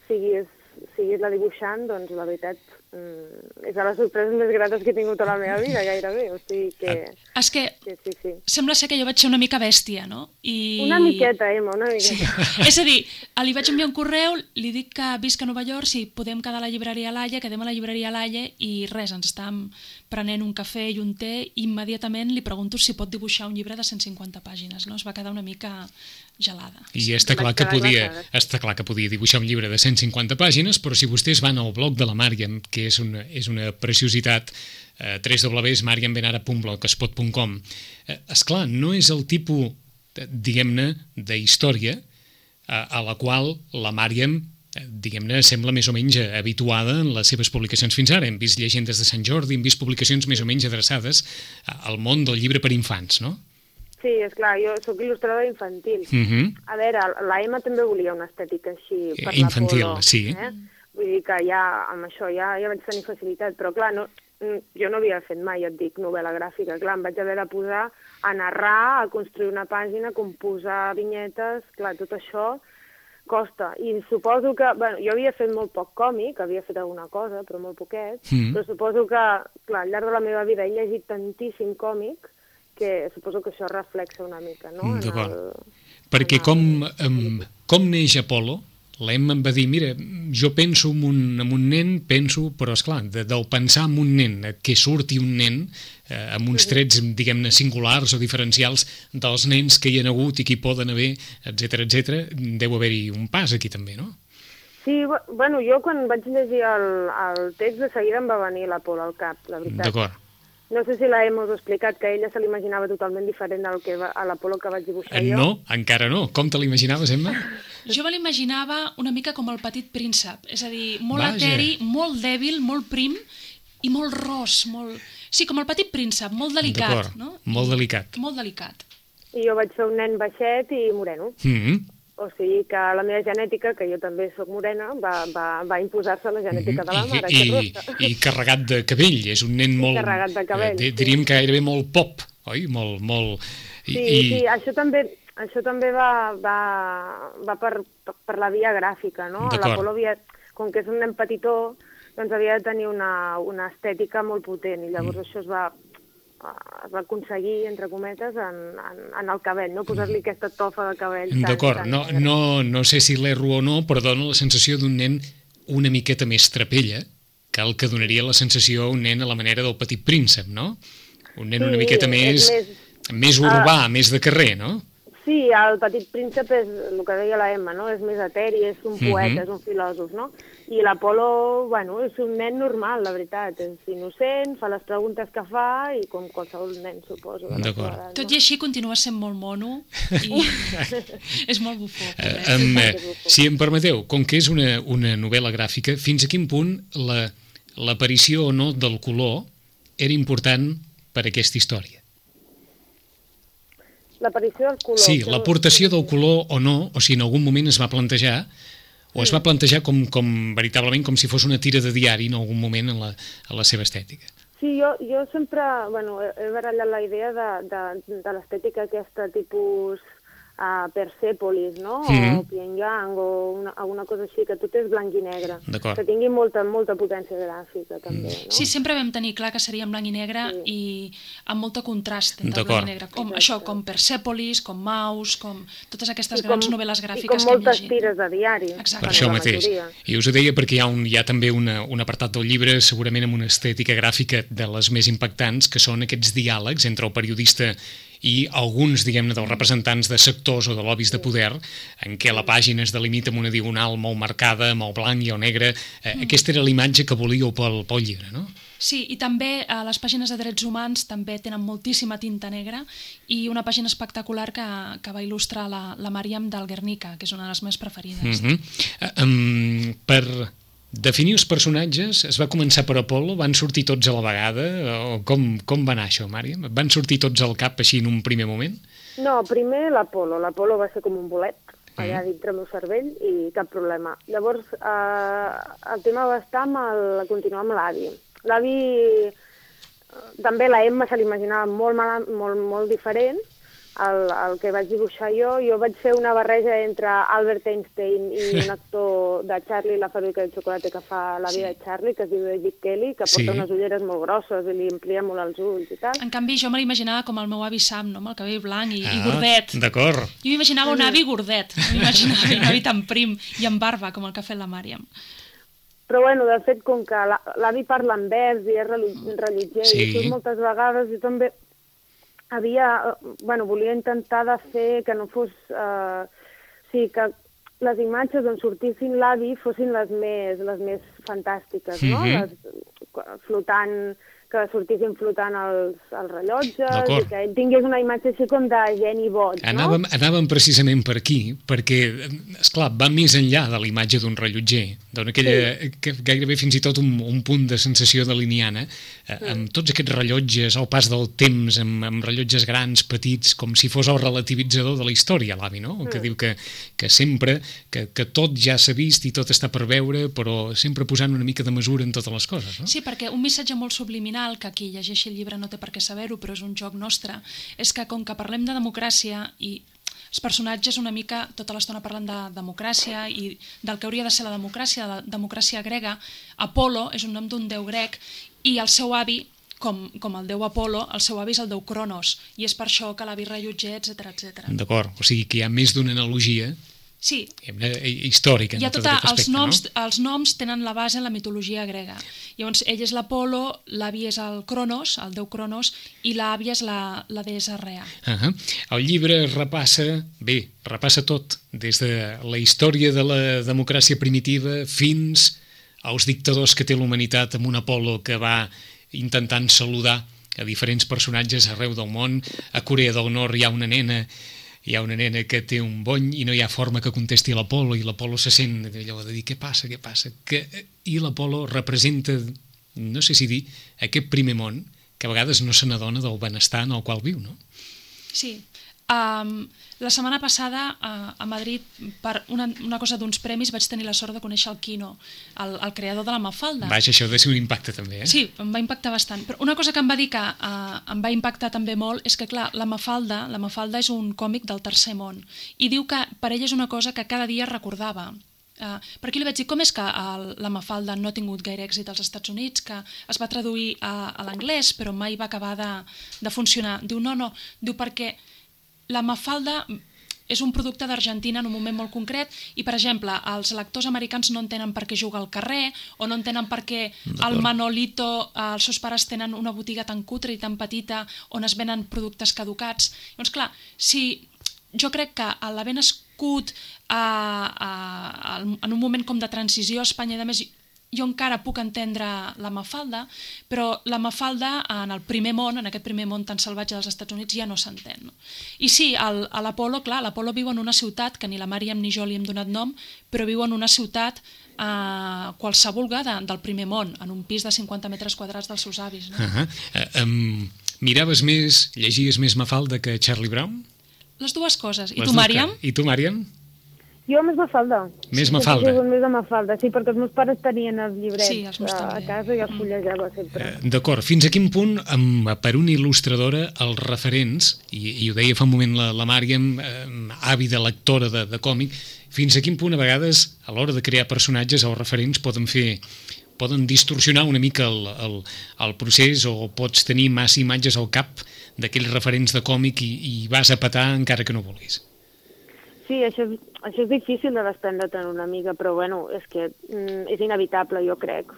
siguis, siguis la dibuixant, doncs la veritat mm, és de les sorpreses més grates que he tingut a la meva vida, gairebé. O sigui que... És que sí, sí, sí. Sembla ser que jo vaig ser una mica bèstia, no? I... Una miqueta, Emma, una miqueta. Sí. És a dir, li vaig enviar un correu, li dic que visc a Nova York, si podem quedar a la llibreria Laia, quedem a la llibreria Laia i res, ens estàvem prenent un cafè i un té i immediatament li pregunto si pot dibuixar un llibre de cent cinquanta pàgines, no? Es va quedar una mica gelada. I està clar que podia, està clar que podia dibuixar un llibre de cent cinquanta pàgines, però si vostès van al blog de la Màriam, que és una, és una preciositat, eh, w w w punt mariam benara punt blogspot punt com, eh, esclar, no és el tipus, diguem-ne, d'història a, a la qual la Màriam, eh, diguem-ne, sembla més o menys habituada en les seves publicacions fins ara. Hem vist llegendes de Sant Jordi, hem vist publicacions més o menys adreçades al món del llibre per infants, no? Sí, és clar, jo sóc il·lustradora infantil. Uh-huh. A veure, la Emma també volia una estètica així per infantil, la Polo. Sí. Eh? Vull dir que ja amb això ja, ja vaig tenir facilitat, però clar, no, jo no havia fet mai, ja et dic, novel·la gràfica. Clar, em vaig haver de posar a narrar, a construir una pàgina, a composar vinyetes, clar, tot això costa. I suposo que, bueno, jo havia fet molt poc còmic, havia fet alguna cosa, però molt poquet, mm. però suposo que, clar, al llarg de la meva vida he llegit tantíssim còmic que suposo que això reflexa una mica, no? D'acord. Perquè com, um, com neix Apolo, l'Emma em va dir, mira, jo penso en un, en un nen, penso, però esclar, de, del pensar en un nen, que surti un nen, eh, amb uns trets, diguem-ne, singulars o diferencials dels nens que hi ha hagut i que hi poden haver, etcètera, etcètera, deu haver-hi un pas aquí també, no? Sí, bueno, jo quan vaig llegir el, el text de seguida em va venir l'Apolo al cap, la veritat. D'acord. No sé si la Emma us ha explicat que ella se l'imaginava totalment diferent al que va, a l'Apolo que vaig dibuixar jo. No, encara no. Com te l'imaginaves, Emma? Jo me l'imaginava una mica com el petit príncep, és a dir, molt Vaja. eteri, molt dèbil, molt prim i molt ros, molt... Sí, com el petit príncep, molt delicat, no? Molt delicat. Molt delicat. I jo vaig ser un nen baixet i moreno. Mm-hmm. O sigui que la meva genètica, que jo també sóc morena, va, va, va imposar-se la genètica mm-hmm. de la mare, I, que rossa. I, I carregat de cabell, és un nen molt... carregat de cabell, eh, diríem sí. que gairebé molt pop, oi? Molt, molt... I, sí, i... sí, això també, això també va, va, va per, per la via gràfica, no? L'Apolo havia, com que és un nen petitó, doncs havia de tenir una, una estètica molt potent, i llavors mm. això es va... es va aconseguir, entre cometes, en, en, en el cabell, no? Posar-li aquesta tofa de cabell. D'acord, no, no, no sé si l'erro o no, però dona la sensació d'un nen una miqueta més trapella que el que donaria la sensació a un nen a la manera del Petit Príncep, no? Un nen sí, una miqueta més, més, més urbà, uh, més de carrer, no? Sí, el Petit Príncep és el que deia la Emma, no? És més eteri, és un poeta, mm-hmm. és un filòsof, no? I l'Apolo, bueno, és un nen normal, la veritat. És innocent, fa les preguntes que fa i com qualsevol nen, suposo. D'acord. No? Tot i així continua sent molt mono i és molt bufó. Uh, um, si em permeteu, com que és una, una novel·la gràfica, fins a quin punt la, l'aparició o no del color era important per a aquesta història. L'aparició del color. Sí, l'aportació del color o no, o si en algun moment es va plantejar, o es va plantejar com, com veritablement com si fos una tira de diari en algun moment en la, en la seva estètica. Sí, jo, jo sempre bueno, he barallat la idea de, de, de l'estètica aquesta tipus uh, Persepolis, no? Mm-hmm. O Pyongyang, o una, alguna cosa així, que tot és blanc i negre. Que tingui molta, molta potència gràfica, també. No? Sí, sempre vam tenir clar que seria en blanc i negre sí. i amb molta contrast entre blanc i negre. Com, això, com Persepolis, com Maus, com totes aquestes com, grans novel·les gràfiques que hem llegit. I com moltes tires de diari. Exacte. Per això mateix. I us ho deia perquè hi ha, un, hi ha també una, un apartat del llibre, segurament amb una estètica gràfica de les més impactants, que són aquests diàlegs entre el periodista i alguns, diguem-ne, dels representants de sectors o de lobbies de poder, en què la pàgina es delimita amb una diagonal molt marcada, amb el blanc i el negre. Eh, mm. Aquesta era la imatge que volíeu pel, pel llibre, no? Sí, i també eh, les pàgines de drets humans també tenen moltíssima tinta negra i una pàgina espectacular que, que va il·lustrar la, la Màriam del Guernica, que és una de les meves preferides. Mm-hmm. um, per definir els personatges, es va començar per Apolo, van sortir tots a la vegada, o com, com va anar això, Màriam? Van sortir tots al cap així en un primer moment? No, primer l'Apolo. L'Apolo va ser com un bolet, allà mm. dintre el meu cervell, i cap problema. Llavors, eh, el tema va estar amb el, continuar amb l'avi. L'avi, també la Emma se l'imaginava molt, mal, molt, molt diferent, el, el que vaig dibuixar jo. Jo vaig fer una barreja entre Albert Einstein i un actor de Charlie, la fàbrica de xocolata que fa la vida sí. de Charlie, que es diu David Kelly, que porta sí. unes ulleres molt grosses i li amplia molt els ulls i tal. En canvi, jo me l'imaginava com el meu avi Sam, no? Amb el cabell blanc i, ah, i gordet. D'acord. Jo m'imaginava un avi gordet, m'imaginava un avi tan prim i amb barba, com el que ha fet la Màriam. Però, bueno, de fet, com que l'avi parla en vers i és rellotger sí. i surt moltes vegades, jo també havia, bueno, volia intentar de fer que no fos, eh, sí, que les imatges on sortissin l'avi fossin les més, les més fantàstiques, no? Mm-hmm. Les, flotant, que sortissin flotant els, els rellotges i que ell tingués una imatge així com de geni boig, no? Anàvem, anàvem precisament per aquí, perquè, esclar, va més enllà de la imatge d'un rellotger, d'una aquella, sí. que gairebé fins i tot un, un punt de sensació daliniana, eh, sí. amb tots aquests rellotges, al pas del temps, amb, amb rellotges grans, petits, com si fos el relativitzador de la història, l'avi, no? Sí. Que diu que, que sempre, que, que tot ja s'ha vist i tot està per veure, però sempre posant una mica de mesura en totes les coses, no? Sí, perquè un missatge molt subliminal, que qui llegeixi el llibre no té per què saber-ho, però és un joc nostre, és que com que parlem de democràcia i els personatges una mica tota l'estona parlen de democràcia i del que hauria de ser la democràcia, la democràcia grega, Apolo és un nom d'un déu grec i el seu avi, com, com el déu Apolo, el seu avi és el déu Cronos, i és per això que l'avi rellotger, etcètera, etcètera. D'acord, o sigui que hi ha més d'una analogia sí. històrica. Hi ha tota, aspecte, els, noms, no? els noms tenen la base en la mitologia grega. Llavors, ell és l'Apolo, l'avi és el Cronos, el déu Cronos, i l'àvia és la, la deessa Rea. Uh -huh. El llibre repassa, bé, repassa tot, des de la història de la democràcia primitiva fins als dictadors que té l'humanitat, amb un Apolo que va intentant saludar a diferents personatges arreu del món. A Corea del Nord hi ha una nena hi ha una nena que té un bony i no hi ha forma que contesti a l'Apolo, i l'Apolo se sent allò de dir què passa, què passa, que, i l'Apolo representa, no sé si dir, aquest primer món que a vegades no se n'adona del benestar en el qual viu, no? Sí. Um, la setmana passada uh, a Madrid, per una, una cosa d'uns premis, vaig tenir la sort de conèixer el Quino, el, el creador de la Mafalda. Vaja, això deu ser un impacte també, eh? Sí, em va impactar bastant. Però una cosa que em va dir que uh, em va impactar també molt és que, clar, la Mafalda, la Mafalda és un còmic del tercer món i diu que per ell és una cosa que cada dia recordava. Uh, per aquí li vaig dir, com és que el, la Mafalda no ha tingut gaire èxit als Estats Units, que es va traduir a, a l'anglès però mai va acabar de, de funcionar? Diu, no, no, diu perquè la Mafalda és un producte d'Argentina en un moment molt concret i, per exemple, els lectors americans no entenen per què juga al carrer o no entenen per què el Manolito, els seus pares tenen una botiga tan cutre i tan petita on es venen productes caducats. Llavors, clar, si jo crec que l'haver nascut a, a, a, en un moment com de transició a Espanya i, a més, jo encara puc entendre la Mafalda, però la Mafalda en el primer món, en aquest primer món tan salvatge dels Estats Units, ja no s'entén. No? I sí, el, a l'Apolo, clar, l'Apolo viu en una ciutat que ni la Màriam ni jo li hem donat nom, però viu en una ciutat eh, qualsevol de, del primer món, en un pis de cinquanta metres quadrats dels seus avis. No? Uh -huh. uh, um, miraves més, llegies més Mafalda que Charlie Brown? Les dues coses. I Les tu, Màriam? I tu, Màriam? Jo més Mafalda. Més Mafalda. Sí, més de Mafalda, sí, perquè els meus pares tenien els llibrets sí, els a, a casa i els fullejava sempre. Uh, D'acord, fins a quin punt, amb, per una il·lustradora, els referents, i, i ho deia fa un moment la, la Màriam, eh, àvida lectora de, de còmic, fins a quin punt a vegades, a l'hora de crear personatges, els referents poden fer poden distorsionar una mica el, el, el procés, o pots tenir massa imatges al cap d'aquells referents de còmic i, i vas a petar encara que no vulguis. Sí, això és, això és difícil de desprendre-te'n una mica, però bueno, és que mm, és inevitable, jo crec.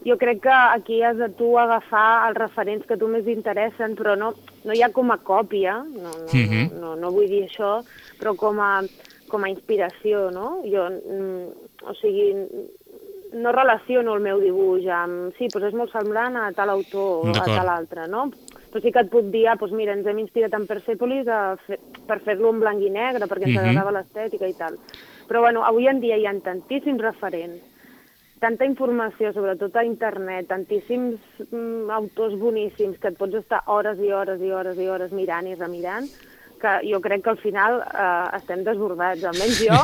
Jo crec que aquí has de tu agafar els referents que tu més interessen, però no, no hi ha com a còpia, no, no, mm-hmm. no, no, no vull dir això, però com a, com a inspiració, no? Jo, mm, o sigui, no relaciono el meu dibuix amb... Sí, doncs és molt semblant a tal autor o a tal altre, no? Però sí que et puc dir, ah, doncs mira, ens hem inspirat en Persepolis a fer, per fer-lo en blanc i negre, perquè ens uh-huh. agradava l'estètica i tal. Però, bueno, avui en dia hi ha tantíssims referents, tanta informació, sobretot a internet, tantíssims mm, autors boníssims que et pots estar hores i hores i hores i hores mirant i remirant, que jo crec que al final eh, estem desbordats. Almenys jo,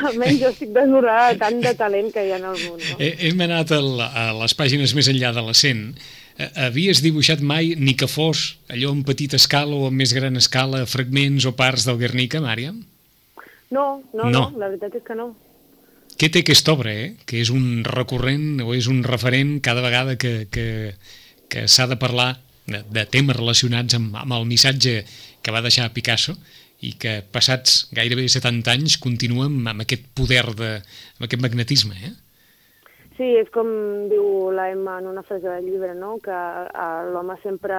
almenys jo estic desbordada de tant de talent que hi ha en el món. No? Hem anat a, a les pàgines més enllà de la cent. Havies dibuixat mai, ni que fos allò en petita escala o en més gran escala, fragments o parts del Guernica, Màriam? No, no, no, no, la veritat és que no. Què té aquesta obra, eh? Que és un recurrent o és un referent cada vegada que, que, que s'ha de parlar de, de temes relacionats amb, amb el missatge que va deixar Picasso i que passats gairebé setanta anys continua amb, amb aquest poder, de, amb aquest magnetisme, eh? Sí, és com diu la Emma en una frase del llibre, no? Que uh, l'home sempre...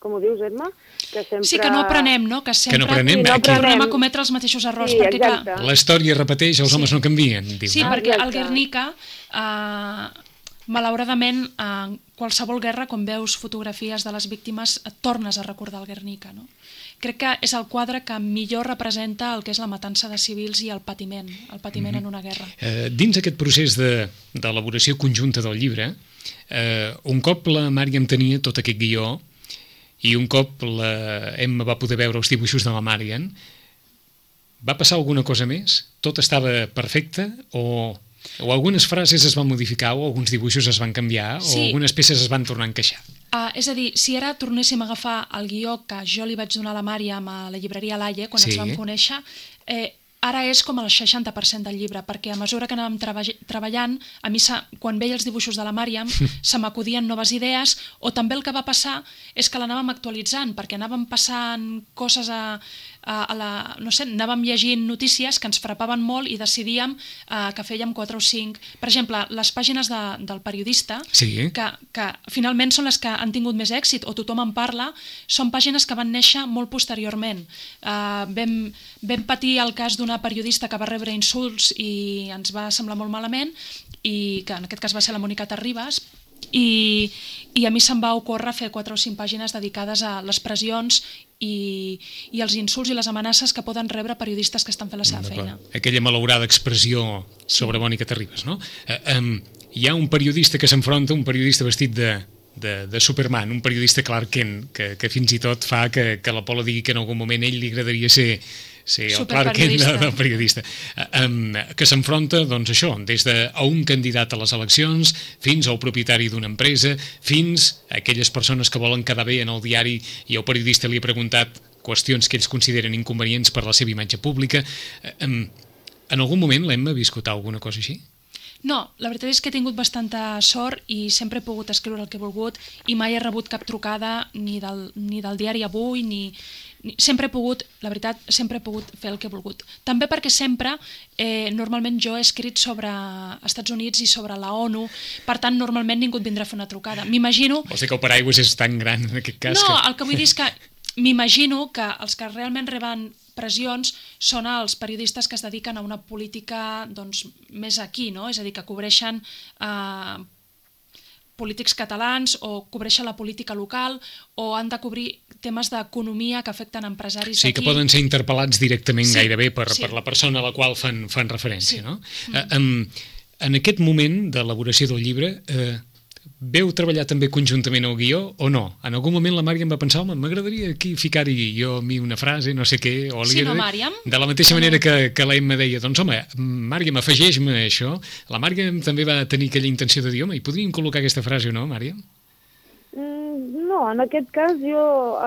Com ho dius, Emma? Que sempre... Sí, que no aprenem, no? Que sempre que no aprenem, sí, no aprenem. tornem a cometre els mateixos errors. Sí, perquè, clar... La història repeteix, els sí. homes no canvien. Diu, sí, no? perquè el Guernica... Uh, malauradament, en qualsevol guerra, quan veus fotografies de les víctimes, et tornes a recordar el Guernica, no? Crec que és el quadre que millor representa el que és la matança de civils i el patiment, el patiment mm-hmm. en una guerra. Eh, dins aquest procés d'elaboració de, conjunta del llibre, eh, un cop la Màriam tenia tot aquest guió i un cop la Emma va poder veure els dibuixos de la Màriam, va passar alguna cosa més? Tot estava perfecte o... O algunes frases es van modificar, o alguns dibuixos es van canviar, sí. o algunes peces es van tornar a encaixar. Uh, és a dir, si ara tornéssim a agafar el guió que jo li vaig donar a la Màriam a la llibreria Laie, quan sí. ens vam conèixer, eh, ara és com el seixanta per cent del llibre, perquè a mesura que anàvem treba treballant, a mi, quan veia els dibuixos de la Màriam, se m'acudien noves idees, o també el que va passar és que l'anàvem actualitzant, perquè anàvem passant coses a... A la, no sé, anàvem llegint notícies que ens frapaven molt i decidíem uh, que fèiem quatre o cinc. Per exemple, les pàgines de, del periodista, sí. que, que finalment són les que han tingut més èxit o tothom en parla, són pàgines que van néixer molt posteriorment. Uh, vam, vam patir el cas d'una periodista que va rebre insults i ens va semblar molt malament, i que en aquest cas va ser la Mònica Terribas, i, i a mi se'm va ocórrer fer quatre o cinc pàgines dedicades a les pressions i, i els insults i les amenaces que poden rebre periodistes que estan fent la seva feina. Aquella malaurada expressió sobre sí. Mònica Terribas, no? Eh, um, hi ha un periodista que s'enfronta, un periodista vestit de, de, de Superman, un periodista Clark Kent, que, que fins i tot fa que, que l'Apolo digui que en algun moment ell li agradaria ser Sí, el Clark Kent del periodista, um, que s'enfronta, doncs això, des de a un candidat a les eleccions fins al propietari d'una empresa, fins a aquelles persones que volen quedar bé en el diari i el periodista li ha preguntat qüestions que ells consideren inconvenients per la seva imatge pública. Um, en algun moment l'Emma ha viscut alguna cosa així? No, la veritat és que he tingut bastanta sort i sempre he pogut escriure el que he volgut i mai he rebut cap trucada ni del, ni del diari Avui, ni... Sempre he pogut, la veritat, sempre he pogut fer el que he volgut. També perquè sempre, eh, normalment jo he escrit sobre Estats Units i sobre la ONU, per tant, normalment ningú et vindrà a fer una trucada. M'imagino... Vols dir que el paraigües és tan gran en aquest cas? No, que... el que vull dir és que m'imagino que els que realment reben pressions són els periodistes que es dediquen a una política doncs, més aquí, no? És a dir, que cobreixen eh, polítics catalans o cobreixen la política local o han de cobrir temes d'economia que afecten empresaris d'aquí. Sí, que poden ser interpel·lats directament sí, gairebé per, sí. per la persona a la qual fan, fan referència. Sí. No? Mm. Eh, en, en aquest moment d'elaboració del llibre, eh, veu treballar també conjuntament el guió o no? En algun moment la Màriam va pensar, home, m'agradaria aquí ficar-hi jo a mi una frase, no sé què, o sí, no, Màriam? De la mateixa manera que, que l'Emma deia, doncs home, Màriam, afegeix-me això. La Màriam també va tenir aquella intenció de dir, home, hi podríem col·locar aquesta frase o no, Màriam? Mm, no, en aquest cas jo,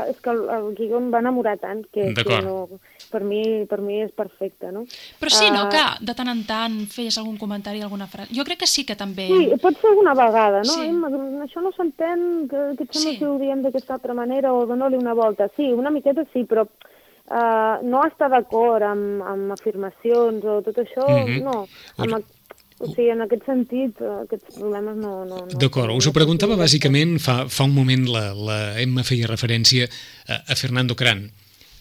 és que el, el guió em va enamorar tant que, que no, per, mi, per mi és perfecte, no? Però sí, no, que de tant en tant feies algun comentari, alguna frase. Jo crec que sí que també... Sí, pot ser alguna vegada, no? Sí. Emma, això no s'entén, que, que et sembla sí. que ho diem d'aquesta altra manera o dona-li una volta. Sí, una miqueta sí, però uh, no estar d'acord amb, amb afirmacions o tot això, mm-hmm. no. Amb, o sigui, en aquest sentit, aquests problemes no... no, no D'acord, us ho preguntava bàsicament, fa, fa un moment la, la Emma feia referència a, a Fernando Cran.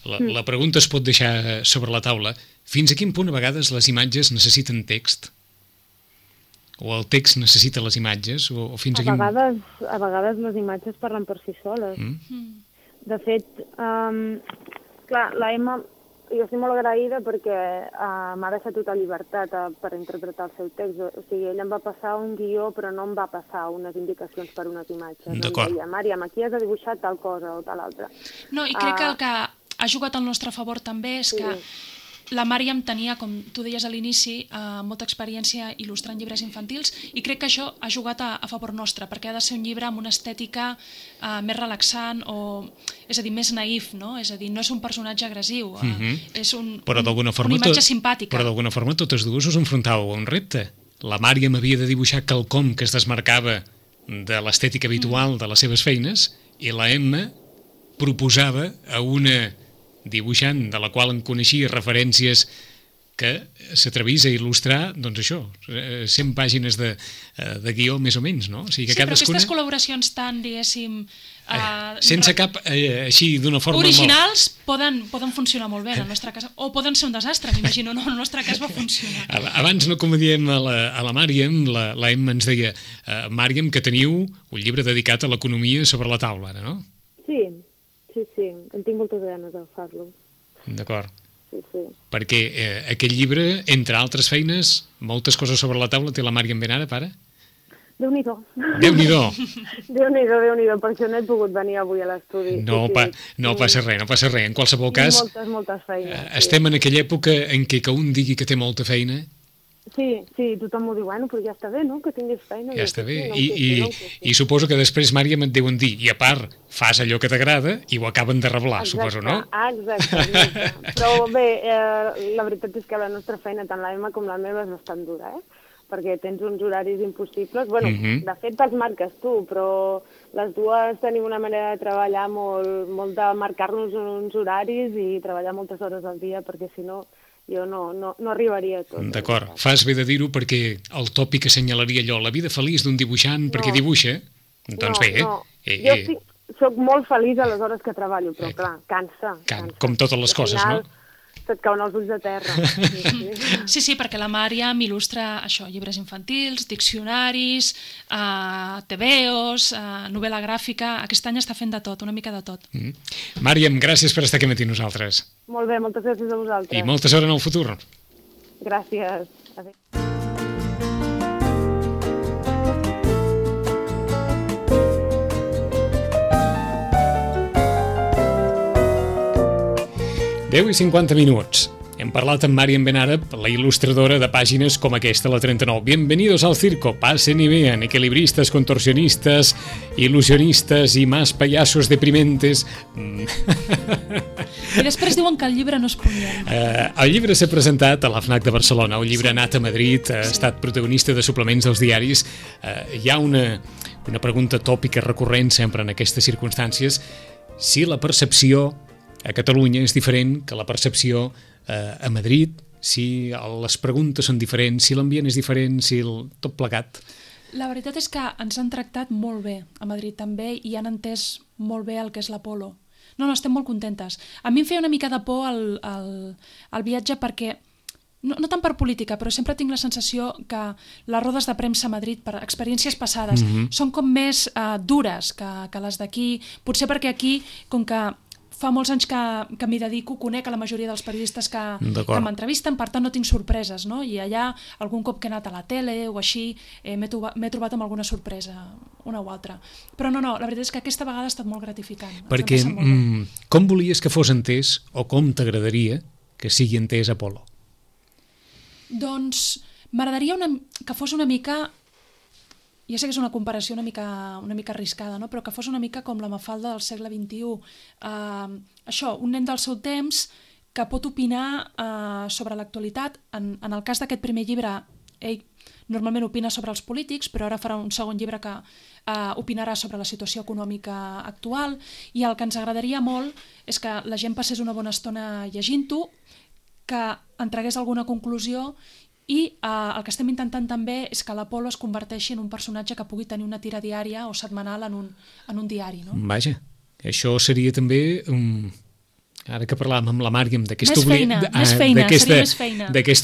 La, mm. la pregunta es pot deixar sobre la taula. Fins a quin punt a vegades les imatges necessiten text? O el text necessita les imatges? O, o fins a, a, quin... vegades, a vegades les imatges parlen per si soles. Mm. De fet, um, clar, la Emma... Jo estic molt agraïda perquè uh, m'ha deixat tota llibertat uh, per interpretar el seu text. O sigui, ella em va passar un guió, però no em va passar unes indicacions per unes imatges. D'acord. Em deia, Màriam, aquí has de dibuixar tal cosa o tal altra. No, i crec uh, que el que ha jugat al nostre favor també és sí. que la Màriam tenia, com tu deies a l'inici, eh, molta experiència il·lustrant llibres infantils i crec que això ha jugat a, a favor nostre, perquè ha de ser un llibre amb una estètica eh, més relaxant o, és a dir, més naïf, no? És a dir, no és un personatge agressiu, eh, mm-hmm. és un, però un, forma, una imatge tot, simpàtica. Però d'alguna forma totes dues us enfrontàveu a un repte. La Màriam havia de dibuixar quelcom que es desmarcava de l'estètica habitual mm. de les seves feines i la Emma proposava a una dibuixant de la qual en coneixia referències que s'atrevís a il·lustrar, doncs això, cent pàgines de, de guió més o menys, no? O sigui que sí, cadascuna... però aquestes col·laboracions tan, diguéssim... Uh, sense cap, eh, així, d'una forma... Originals molt... poden, poden funcionar molt bé en el nostre cas, o poden ser un desastre, m'imagino, no, en el nostre cas va funcionar. Abans, no com diem a la, a la Màriam, la, la Emma ens deia, uh, Màriam, que teniu un llibre dedicat a l'economia sobre la taula, ara, no? Sí, sí, sí, en tinc moltes ganes de fer-lo. D'acord. Sí, sí. Perquè eh, aquest llibre, entre altres feines, moltes coses sobre la taula té la Màriam Benara, pare? Déu-n'hi-do. Déu-n'hi-do. Déu-n'hi-do, Déu-n'hi-do, per això no he pogut venir avui a l'estudi. No, sí, pa, no sí. passa res, no passa res. En qualsevol cas, moltes, moltes feines, eh, estem sí. en aquella època en què que un digui que té molta feina... Sí, sí, tothom m'ho diu, bueno, però ja està bé, no?, que tinguis feina. Ja està bé, sí, I, i, no sí. i suposo que després, Màriam, et deuen dir, i a part, fas allò que t'agrada i ho acaben de reblar, exacte, suposo, no? Exacte, exacte. Però bé, eh, la veritat és que la nostra feina, tant la meva com la meva, és bastant dura, eh? Perquè tens uns horaris impossibles. Bueno, uh-huh. de fet, te'ls marques tu, però les dues tenim una manera de treballar molt, molt de marcar-nos uns horaris i treballar moltes hores al dia, perquè si no... jo no, no, no arribaria a tot. D'acord, fas bé de dir-ho perquè el tòpic que assenyalaria allò, la vida feliç d'un dibuixant no. perquè dibuixa, doncs no, bé, eh? No. Eh, jo eh. sí, soc molt feliç a les hores que treballo, però eh. clar, cansa. Can, cansa. Com totes les coses, final, no? Se't cauen els ulls de terra. Sí, sí. sí, sí, perquè la Màriam il·lustra això, llibres infantils, diccionaris, uh, tebeos, uh, novel·la gràfica... Aquest any està fent de tot, una mica de tot. Mm. Màriam, gràcies per estar aquí amb nosaltres. Molt bé, moltes gràcies a vosaltres. I molta sort en el futur. Gràcies. Adéu. deu i cinquanta minuts. Hem parlat amb Màriam Benara, la il·lustradora de pàgines com aquesta, la trenta-nou. Bienvenidos al circo, pasen y vean, equilibristas, contorsionistas, ilusionistas y más payasos deprimentes. I després diuen que el llibre no és punyent. Uh, el llibre s'ha presentat a la FNAC de Barcelona, el llibre ha anat a Madrid, ha estat protagonista de suplements dels diaris. Uh, hi ha una, una pregunta tòpica recurrent sempre en aquestes circumstàncies, si la percepció a Catalunya és diferent que la percepció eh, a Madrid, si les preguntes són diferents, si l'ambient és diferent, si el, tot plegat. La veritat és que ens han tractat molt bé a Madrid també i han entès molt bé el que és l'Apolo. No, no, estem molt contentes. A mi em feia una mica de por el, el, el viatge perquè, no, no tant per política, però sempre tinc la sensació que les rodes de premsa a Madrid, per experiències passades, mm-hmm. són com més uh, dures que, que les d'aquí. Potser perquè aquí, com que fa molts anys que, que m'hi dedico, conec a la majoria dels periodistes que, que m'entrevisten, per tant no tinc sorpreses, no? I allà, algun cop que he anat a la tele o així, eh, m'he trobat, m'he trobat amb alguna sorpresa, una o altra. Però no, no, la veritat és que aquesta vegada ha estat molt gratificant. Perquè mm, com volies que fos entès, o com t'agradaria que sigui entès Apolo? Doncs m'agradaria una, que fos una mica... Ja sé que és una comparació una mica, una mica arriscada, no? Però que fos una mica com la Mafalda del segle vint-i-u. Uh, això, un nen del seu temps que pot opinar uh, sobre l'actualitat. En, en el cas d'aquest primer llibre, ell normalment opina sobre els polítics, però ara farà un segon llibre que uh, opinarà sobre la situació econòmica actual, i el que ens agradaria molt és que la gent passés una bona estona llegint-ho, que en tragués alguna conclusió. I uh, el que estem intentant també és que l'Apolo es converteixi en un personatge que pugui tenir una tira diària o setmanal en un, en un diari. No? Vaja, això seria també, um, ara que parlàvem amb la Màriam d'aquesta obli...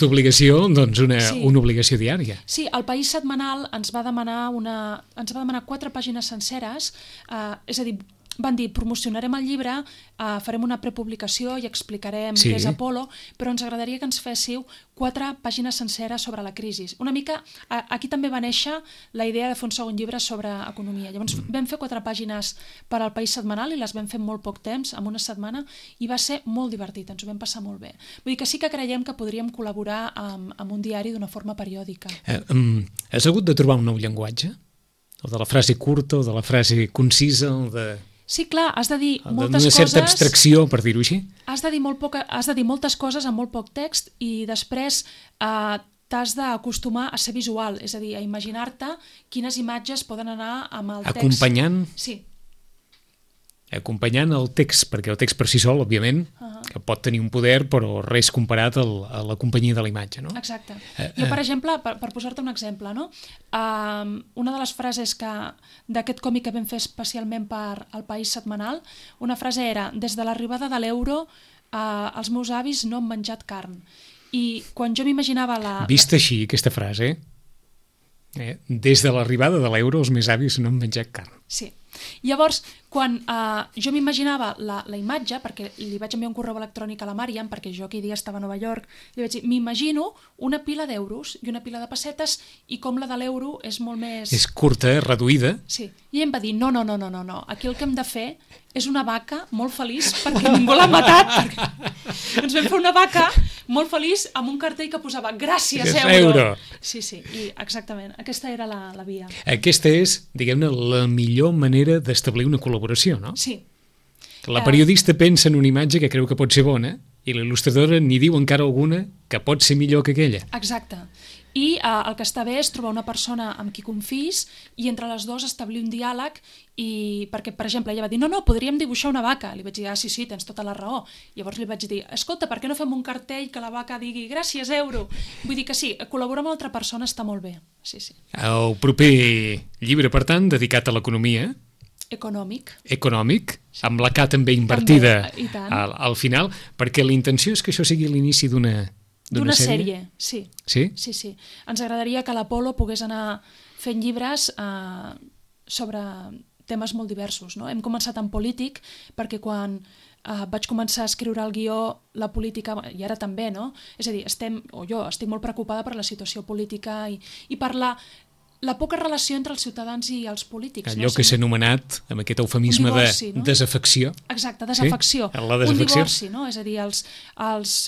obligació, doncs una, sí. una obligació diària. Sí, el País Setmanal ens va demanar, una, ens va demanar quatre pàgines senceres, uh, és a dir, van dir, promocionarem el llibre, uh, farem una prepublicació i explicarem sí. què és Apolo, però ens agradaria que ens féssiu quatre pàgines senceres sobre la crisi. Una mica, uh, aquí també va néixer la idea de fer un segon llibre sobre economia. Llavors mm. vam fer quatre pàgines per al País Setmanal i les vam fer en molt poc temps, en una setmana, i va ser molt divertit, ens ho vam passar molt bé. Vull dir que sí que creiem que podríem col·laborar amb, amb un diari d'una forma periòdica. Eh, um, has hagut de trobar un nou llenguatge? O de la frase curta, o de la frase concisa, o de... Sí, clar, has de dir moltes coses... Una certa abstracció, per dir-ho així. Has de dir, molt poca, has de dir moltes coses amb molt poc text i després eh, t'has d'acostumar a ser visual, és a dir, a imaginar-te quines imatges poden anar amb el text. Acompanyant... Sí. Acompanyant el text, perquè el text per si sol, òbviament, uh-huh. que pot tenir un poder, però res comparat al, a la companyia de la imatge, no? Exacte. Uh, jo, per exemple, per, per posar-te un exemple, no? Uh, una de les frases que d'aquest còmic que vam fer especialment per El País Setmanal, una frase era: des de l'arribada de l'euro, uh, els meus avis no han menjat carn. I quan jo m'imaginava la... Vist així, aquesta frase, eh? Des de l'arribada de l'euro, els meus avis no han menjat carn. Sí. Llavors, quan uh, jo m'imaginava la, la imatge, perquè li vaig enviar un correu electrònic a la Màriam, perquè jo aquell dia estava a Nova York, li vaig dir, m'imagino una pila d'euros i una pila de pessetes, i com la de l'euro és molt més... És curta, reduïda. Sí, i em va dir, no, no, no, no, no, aquí el que hem de fer és una vaca molt feliç perquè ningú l'ha matat. Perquè... Ens vam fer una vaca molt feliç amb un cartell que posava gràcies, euro. euro. Sí, sí, i exactament, aquesta era la, la via. Aquesta és, diguem-ne, la millor manera d'establir una col·laboració, no? Sí. La periodista pensa en una imatge que creu que pot ser bona i l'il·lustradora n'hi diu encara alguna que pot ser millor que aquella. Exacte. I eh, el que està bé és trobar una persona amb qui confis i entre les dues establir un diàleg, i perquè, per exemple, ella va dir, no, no, podríem dibuixar una vaca. Li vaig dir, ah, sí, sí, tens tota la raó. Llavors li vaig dir, escolta, per què no fem un cartell que la vaca digui gràcies, euro? Vull dir que sí, col·laborar amb altra persona està molt bé. Sí, sí. El proper llibre, per tant, dedicat a l'economia. Econòmic. Econòmic, amb la K també invertida també, al, al final, perquè la intenció és que això sigui l'inici d'una... D'una sèrie, sí. Sí? Sí, sí. Ens agradaria que l'Apolo pogués anar fent llibres eh, sobre temes molt diversos, no? Hem començat en polític, perquè quan eh, vaig començar a escriure el guió, la política, i ara també, no? És a dir, estem, o jo estic molt preocupada per la situació política i, i per la, la poca relació entre els ciutadans i els polítics. Allò no? que s'ha anomenat, amb aquest eufemisme divorci, de no? desafecció. Exacte, desafecció. Sí? La desafecció. Un divorci, no? És a dir, els... els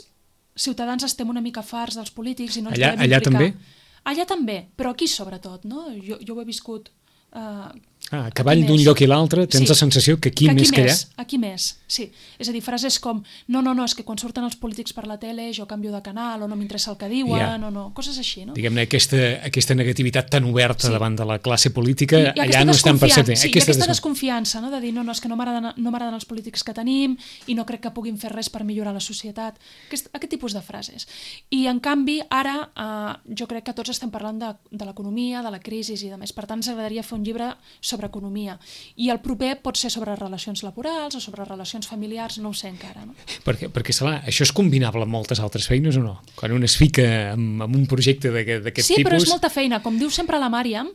ciutadans estem una mica farts dels polítics i no ens allà, volem allà implicar. també? Allà també, però aquí sobretot, no? Jo, jo ho he viscut... Uh, ah, a cavall d'un lloc i l'altre tens sí. la sensació que aquí, que aquí més que allà... Aquí més, sí. És a dir, frases com no, no, no, és que quan surten els polítics per la tele jo canvio de canal o no m'interessa el que diuen, yeah. o no, coses així, no? Diguem-ne, aquesta, aquesta negativitat tan oberta sí. davant de la classe política, I, i allà no estan percebent. Sí, aquesta i aquesta desconfiança, no? De dir, no, no, és que no m'agraden no m'agraden els polítics que tenim i no crec que puguin fer res per millorar la societat. Aquest, aquest tipus de frases. I, en canvi, ara eh, jo crec que tots estem parlant de, de l'economia, de la crisi i de més. Per tant, ens agradaria fer un llibre sobre sobre economia. I el proper pot ser sobre relacions laborals o sobre relacions familiars, no ho sé encara. No? Perquè, perquè clar, això és combinable amb moltes altres feines o no? Quan un es fica amb, amb un projecte d'aquest sí, tipus... Sí, però és molta feina. Com diu sempre la Màriam,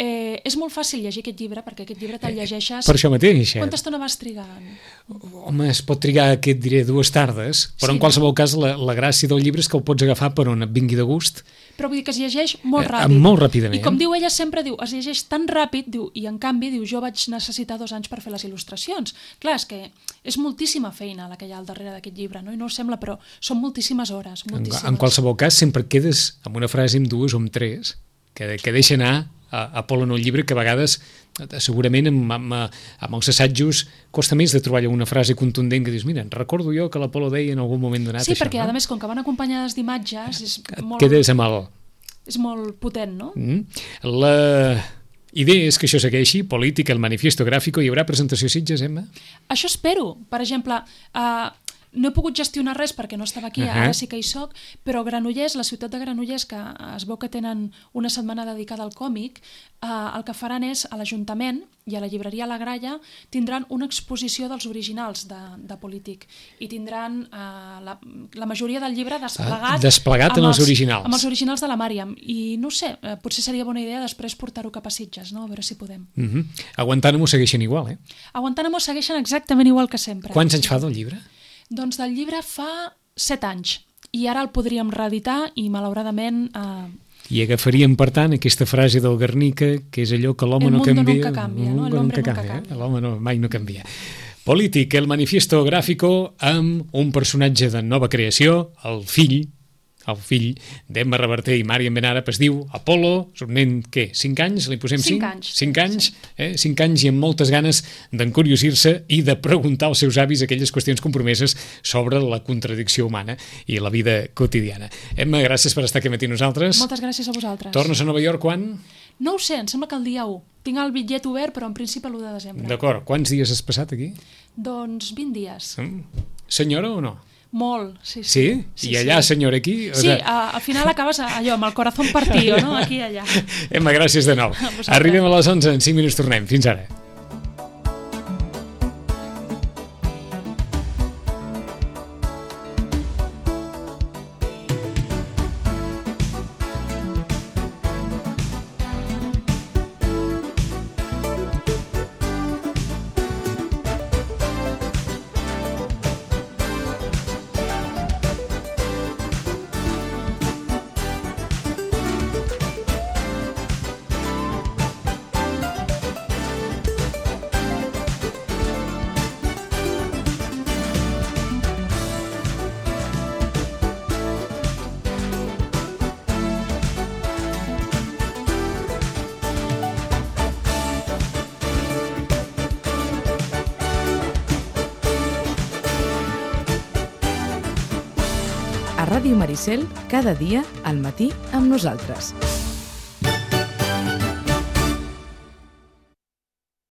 Eh, és molt fàcil llegir aquest llibre, perquè aquest llibre te'l llegeixes... Per això mateix. Quanta estona vas trigar? Home, es pot trigar, què et diré, dues tardes, però sí, en qualsevol no? cas la, la gràcia del llibre és que el pots agafar per on et vingui de gust. Però vull dir que es llegeix molt ràpid. Eh, molt ràpidament. I com diu ella sempre, diu, es llegeix tan ràpid, diu, i en canvi, diu, jo vaig necessitar dos anys per fer les il·lustracions. Clar, és que és moltíssima feina la que hi ha al darrere d'aquest llibre, no? I no ho sembla, però són moltíssimes hores. Moltíssimes. En, en qualsevol cas, sempre et quedes amb una frase, amb dues o amb tres, que, que deixa anar a Apol·lo en un llibre que a vegades segurament amb, amb, amb els assajos costa més de trobar una frase contundent que dius, mira, recordo jo que l'Apol·lo deia en algun moment donat sí, això. Sí, perquè no? a més com que van acompanyades d'imatges és molt... Quedes amb el... És molt potent, no? Mm. La idea és que això segueixi, Política, el manifiesto gráfico, hi haurà presentació a Sitges, Emma? Això espero. Per exemple, eh, no he pogut gestionar res perquè no estava aquí, uh -huh. ara sí que hi soc, però Granollers, la ciutat de Granollers, que es veu que tenen una setmana dedicada al còmic, eh, el que faran és, a l'Ajuntament i a la llibreria La Gralla, tindran una exposició dels originals de, de Polític, i tindran eh, la, la majoria del llibre desplegat, ah, desplegat amb, amb els originals. Amb els originals de la Màriam, i no sé, eh, potser seria bona idea després portar-ho cap a Sitges, no? A veure si podem. Uh -huh. A Guantánamo segueixen igual, eh? A Guantánamo segueixen exactament igual que sempre. Quants anys fa del llibre? Doncs del llibre fa set anys, i ara el podríem reeditar i malauradament... Eh... I agafaríem, per tant, aquesta frase del Guernica, que és allò que l'home no canvia... El mundo nunca canvia, no? El hombre nunca canvia. Eh? L'home no, mai no canvia. Polític, el manifiesto gráfico, amb un personatge de nova creació, el fill, el fill d'Emma Reverter i Màriam Benàrap, es diu Apol·lo, és un nen, què, cinc anys? Li posem cinc? Cinc anys. Cinc anys, eh? Cinc anys i amb moltes ganes d'encuriosir-se i de preguntar als seus avis aquelles qüestions compromeses sobre la contradicció humana i la vida quotidiana. Emma, gràcies per estar aquí matí nosaltres. Moltes gràcies a vosaltres. Tornes a Nova York quan? No ho sé, em sembla que el dia u. Tinc el bitllet obert, però en principi l'u de desembre. D'acord. Quants dies has passat aquí? Doncs vint dies. Mm. Senyora o no? Molt, sí, sí. Sí? sí I allà, sí. senyora, aquí? O sí, sea... a, al final acabes allò, amb el corazón partido, no? Aquí i allà. Emma, gràcies de nou. Arribem a les onze, en cinc minuts tornem. Fins ara. A Ràdio Maricel, cada dia al matí amb nosaltres.